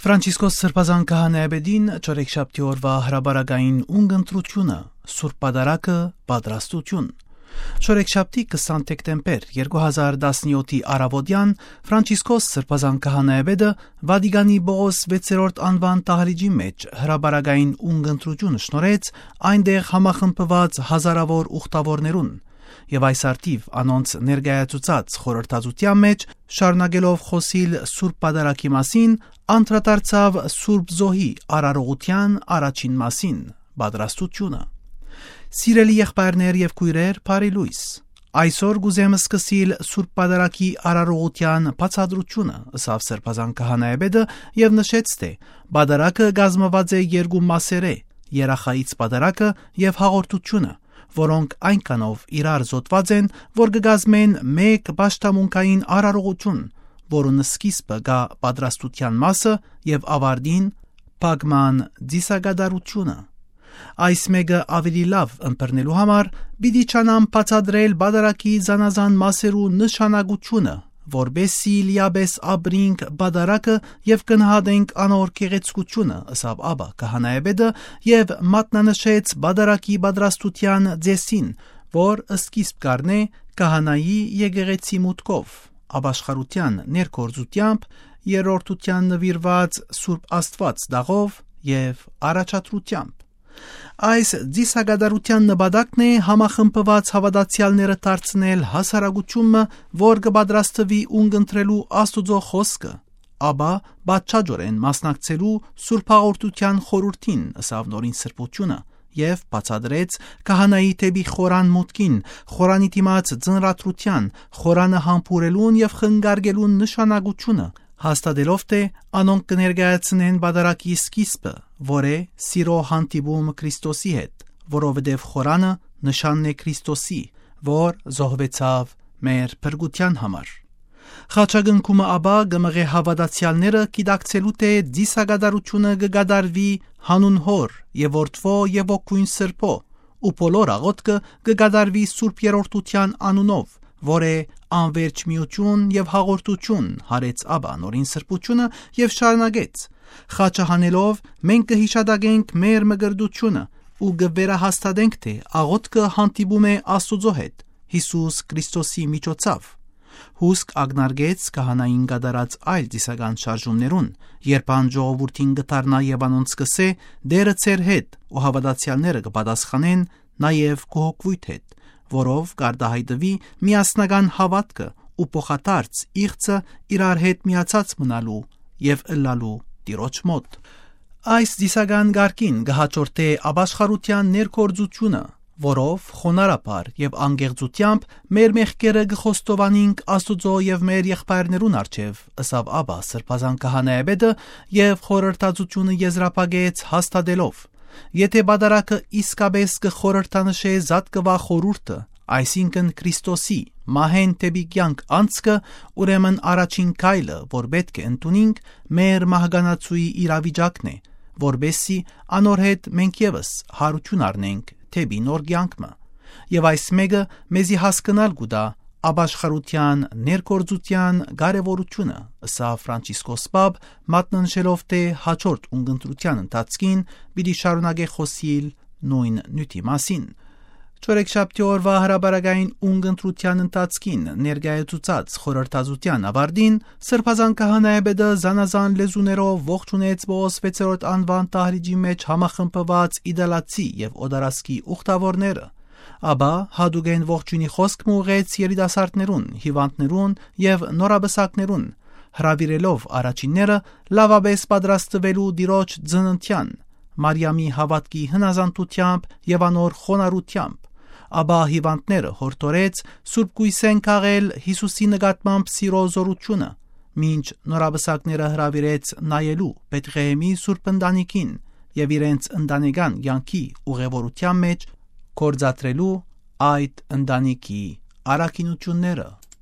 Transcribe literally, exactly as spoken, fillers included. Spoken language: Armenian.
Ֆրանցիսկոս Սրբազան քահանայապետին չորեքշաբթի օրվա հրաբարակային ունգընտրությունը Սուրբ Պատարագը պատրաստություն Չորեքշաբթի կիսանինը դեկտեմբեր երկու հազար տասնյոթի առավոտյան Ֆրանցիսկոս Սրբազան քահանայապետը Վատիկանի Պողոս վեցերորդ անվան տահրիջի մեջ հրաբարակային ունգընտրություն շնորհեց այնտեղ համախմբված հազարավոր ուխտավորներուն եւ այս արդիվ անոնց ներկայացուցած խորհրդածության մեջ շարունակելով խոսիլ Սուրբ Պատարագի մասին անդրադարձավ Սուրբ Զոհի արարողության առաջին մասին պատրաստությունը Սիրելի եղբայրներ եւ քույրեր, բարի լույս Այսօր գուզեմ սկսիլ Սուրբ Պատարագի արարողության բացատրությունը ըսավ Սրբազան քահանայապետը եւ նշեց թե Պատարագը կազմված է երկու մասեր երախայից Պատարագը եւ հաղորդությունը որոնք այնքանով իրար զոթված են, որ կգազմեն մեկ պաշտամունքային արարողություն, որոնց սկիզբը գա պատրաստության մասը եւ ավարտին փակման դիսագադարությունը։ Այս մեկը ավելի լավ ընտրնելու համար պիտի չանամ բացատրել Պատարագի զանազան մասերու նշանակությունը, որբեսի լիաբես ապրինք Պատարագը եւ կնահատենք անոր գեղեցկությունը, ըսավ Աբա քահանայապետը եւ մատնանշեց Պատարագի պատրաստության ձեսին, որ սկիզբ կառնե քահանայի եկեղեցի մուտքով, ապաշխարության ներկործությամբ, երրորդության նվիրված Սուրբ Աստված դաղով եւ առաջադրությամբ։ Այս դիսագադարության նպատակն է համախմբված հավատացյալները դարձնել հասարակությունը, որ կպատրաստվի ունգընտրելու Աստուծո խոսքը, ապա բացաճորեն մասնակցելու Սուրբ Հաղորդության խորհրդին, ըսավ նորին սրբությունը, եւ բացադրեց քահանայի թեպի խորան մուտքին, խորանի դիմաց ձնրատրության, խորանը համբուրելուն եւ խնգարգելուն նշանակությունը, հաստատելով թե անոնք կներկայացնեն Պատարագի սկիզբը, որ է սիրո հանդիպում Քրիստոսի հետ, որովհետև խորանը նշանն է Քրիստոսի, որ զոհվեցավ մեր փրկության համար։ Խաչակնքումը ապա գմղե հավատացյալները գիտակցելու թե դիսագադարությունը կգադարվի հանուն Հոր եւ Որդվո եւ Ոգուն Սրբո, ու բոլոր աղոթքը կգադարվի Սուրբ Երրորդության անունով, որ է անվերջ միություն եւ հաղորդություն հարեց Աբա նորին սրբությունը եւ շարունակեց խաչը հանելով մենք կհիշադակենք մեր մգրդությունը ու կվերահաստատենք թե աղոթքը հանդիպում է Աստուծո հետ Հիսուս Քրիստոսի միջոցով հուսք ագնարգեց քահանային գդարած այլ դիսական շարժումներուն երբ ան ժողովրդին գտարնա եւ անոնց սկսե դերը ծեր հետ ու հավատացյալները կպատասխանեն նաեւ կողոքվույթ հետ որով կարտահայտվի միասնական հավատքը ու փոխադարձ իղծը իրար հետ միացած մնալու եւ ըլլալու Տիրոջ մոտ։ Այս դիսական գարկին կհաջորդե ապաշխարության ներկործությունը, որով խոնարհաբար եւ անգեղծությամբ մեր մեղքերը կխոստովանենք Աստուծո եւ մեր եղբայրներուն առջեւ, ըսավ Աբա Սրբազան քահանայապետը եւ խորհրդածությունը եզրափակեց հաստատելով Եթե Պատարագը իսկապես կխորհրդանշե զատկվա խորհուրդը, այսինքն Քրիստոսի մահեն տեպի կյանք անցքը, ուրեմն առաջին քայլը, որ պետք է ընդունենք, մեր մահկանացուի իրավիճակն է, որբեսի անոր հետ մենք եւս հարություն առնենք տեպի նոր կյանքը, եւ այս մեկը մեզի հասկանալ կուտա ապաշխարության ներկործության կարևորությունը, ըսա Ֆրանցիսկոս Պապ մատնանշելով թե հաջորդ ունգընտրության ընթացքին պիտի շարունակե խոսիլ նույն նյութի մասին։ Չորեքշաբթի օրվա հրաբարակային ունգընտրության ընթացքին ներկայացուցած խորհրդածության ավարտին Սրբազան քահանայապետը զանազան լեզուներով ողջունեց Պողոս վեցերորդ անվան տահրիջի մեջ համախմբված իդալացի եւ օդարասկի ուխտավորները Աբա հադուգեն ողջունի խոսք մուղեց երիտասարդներուն, հիվանդներուն եւ նորաբսակներուն, հրավիրելով առաջինները լավաբես պատրաստվելու Տիրոջ ծննդյան, Մարիամի հավատքի հնազանդությամբ եւ անոր խոնարհությամբ, աբա հիվանդները հորդորեց Սուրբ Գույսեն քաղել Հիսուսի նկատմամբ սիրո զորությունը, մինչ նորաբսակները հրավիրեց նայելու Բեթղեհեմի Սուրբ ընտանիքին եւ իրենց ընտանեկան կյանքի ուղևորության մեջ կործատրելու այդ ընտանիքի առաքինությունները։